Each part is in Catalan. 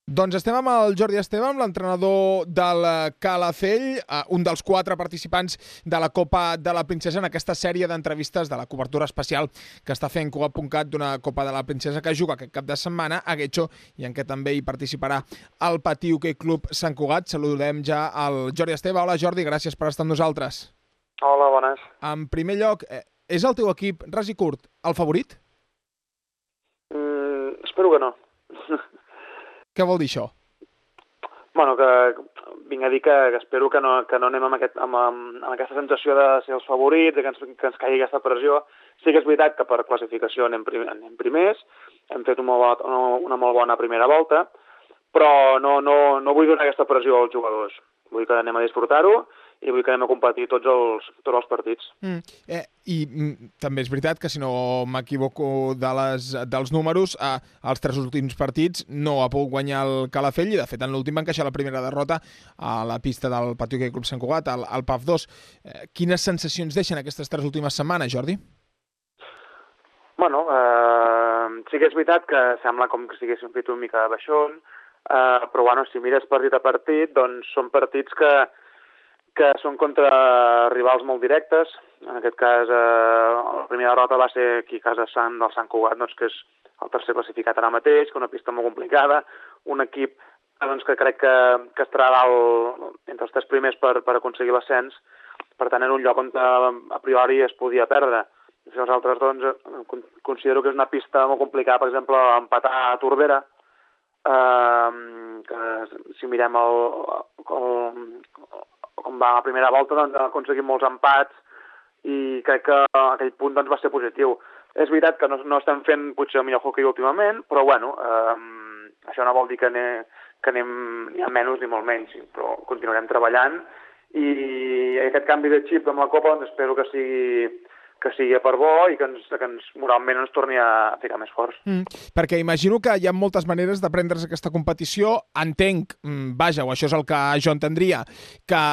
Doncs estem amb el Jordi Esteve, amb l'entrenador del Calafell, un dels 4 participants de la Copa de la Princesa en aquesta sèrie d'entrevistes de la cobertura especial que està fent Cugat.cat d'una Copa de la Princesa que juga aquest cap de setmana a Guecho i en què també hi participarà el Patí Hoquei Club Sant Cugat. Saludem ja al Jordi Esteve. Hola Jordi, gràcies per estar amb nosaltres. Hola, bones. En primer lloc, és el teu equip, ras i curt, el favorit? Espero que no. Què vol dir això? Bueno, que vinc a dir que espero que no anem amb aquesta sensació de ser els favorits, de que ens caigui aquesta pressió. Sí que és veritat que per classificació anem primers, hem fet una molt bona primera volta, però no vull donar aquesta pressió als jugadors. Vull que anem a disfrutar-ho i vull que anem a competir tots els partits. També és veritat que, si no m'equivoco dels números, els 3 últims partits no ha pogut guanyar el Calafell i, de fet, en l'últim va encaixar la primera derrota a la pista del Patí Hoquei Club Sant Cugat, al PAF 2. Quines sensacions deixen aquestes 3 últimes setmanes, Jordi? Bueno, sí que és veritat que sembla com que estiguéssim fet una mica de baixón, però bueno, si mires partit a partit, doncs són partits que són contra rivals molt directes. En aquest cas, la primera derrota va ser aquí a casa del Sant Cugat, doncs, que és el tercer classificat ara mateix, que una pista molt complicada, un equip doncs, que crec que estarà entre els 3 primers per aconseguir l'ascens, per tant, era un lloc on a priori es podia perdre. I els altres, doncs, considero que és una pista molt complicada, per exemple, empatar a Tordera, que si mirem com va la primera volta, doncs ha aconseguit molts empats i crec que aquell punt doncs, va ser positiu. És veritat que no estem fent potser el millor hoquei últimament, però bueno, això no vol dir que anem ni a menys ni molt menys, però continuarem treballant i aquest canvi de xip amb la Copa doncs, espero que sigui per bo i que moralment ens torni a ficar més forts. Perquè imagino que hi ha moltes maneres de prendre's aquesta competició. Entenc, o això és el que jo entendria, que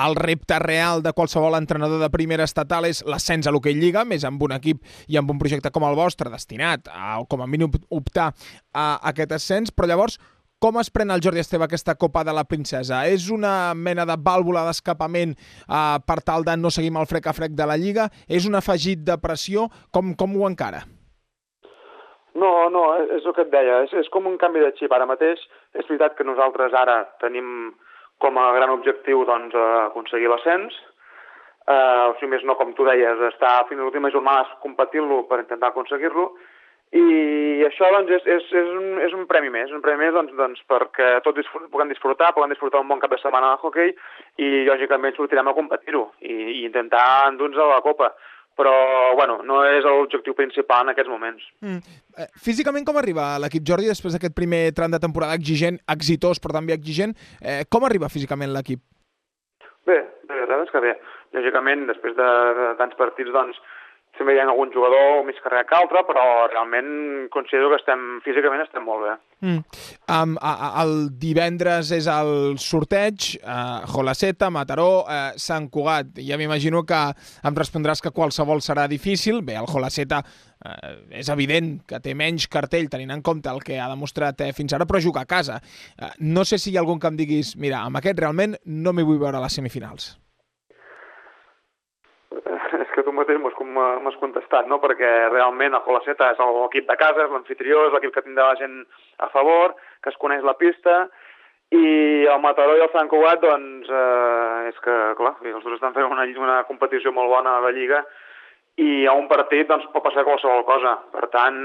el repte real de qualsevol entrenador de primera estatal és l'ascens a l'Hoquei Lliga, més amb un equip i amb un projecte com el vostre, destinat a, com a mínim, optar a aquest ascens, però llavors com es pren el Jordi Esteve aquesta Copa de la Princesa? És una mena de vàlvula d'escapament per tal de no seguir amb el frec a frec de la Lliga? És un afegit de pressió? Com ho encara? No, és el que et deia. És com un canvi de xip. Ara mateix és veritat que nosaltres ara tenim com a gran objectiu doncs, aconseguir l'ascens. O sigui, més no, com tu deies, estar fins a l'última jornada competint-lo per intentar aconseguir-lo. I això doncs, és un premi més, doncs, perquè tots puguem disfrutar un bon cap de setmana de hoquei i, lògicament, sortirem a competir-ho i intentar endur-nos a la Copa. Però, bueno, no és l'objectiu principal en aquests moments. Físicament com arriba l'equip, Jordi, després d'aquest primer tram de temporada exitós, però també exigent? Com arriba físicament l'equip? Bé, la veritat és que bé. Lògicament, després de tants partits, doncs, sempre hi ha algun jugador més carregat que altre, però realment considero que físicament estem molt bé. El divendres és el sorteig, Jolaseta, Mataró, Sant Cugat. Ja m'imagino que em respondràs que qualsevol serà difícil. Bé, el Jolaseta és evident que té menys cartell tenint en compte el que ha demostrat fins ara, però juga a casa. No sé si hi ha algun que em diguis, mira, amb aquest realment no m'hi vull veure a les semifinals. És que tu mateix m'has contestat, no? Perquè realment el Jolaseta és l'equip de casa, és l'anfitrió, és l'equip que tindrà la gent a favor, que es coneix la pista, i el Mataró i el Sant Cugat, doncs, és que, clar, els dos estan fent una competició molt bona a la Lliga, i a un partit doncs, pot passar qualsevol cosa. Per tant,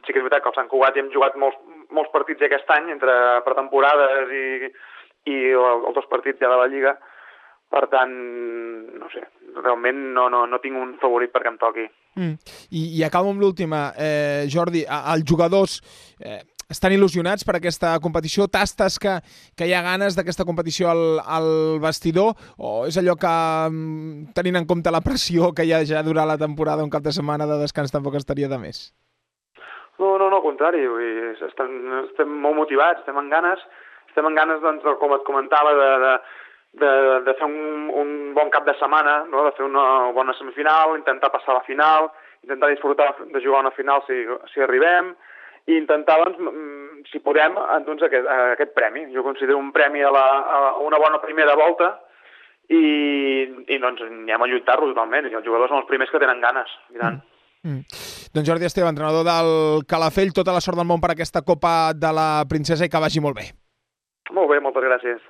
sí que és veritat que el Sant Cugat hi hem jugat molts partits aquest any, entre pretemporades i els 2 partits ja de la Lliga. Per tant, no sé, realment no tinc un favorit perquè em toqui. I acabo amb l'última. Jordi, els jugadors estan il·lusionats per aquesta competició? Tastes que hi ha ganes d'aquesta competició al vestidor? O és allò que, tenint en compte la pressió que hi ha ja durant la temporada, un cap de setmana de descans tampoc estaria de més? No, al contrari. Estem molt motivats, estem amb ganes, doncs, com et comentava, de fer un bon cap de setmana, no? De fer una bona semifinal, intentar passar a la final, intentar disfrutar de jugar a una final si arribem, i intentar, doncs, si podem, endur-nos aquest premi. Jo considero un premi a una bona primera volta i doncs anem a lluitar-lo totalment. I els jugadors són els primers que tenen ganes, i tant. Doncs Jordi Esteve, entrenador del Calafell, tota la sort del món per aquesta Copa de la Princesa i que vagi molt bé. Molt bé, moltes gràcies.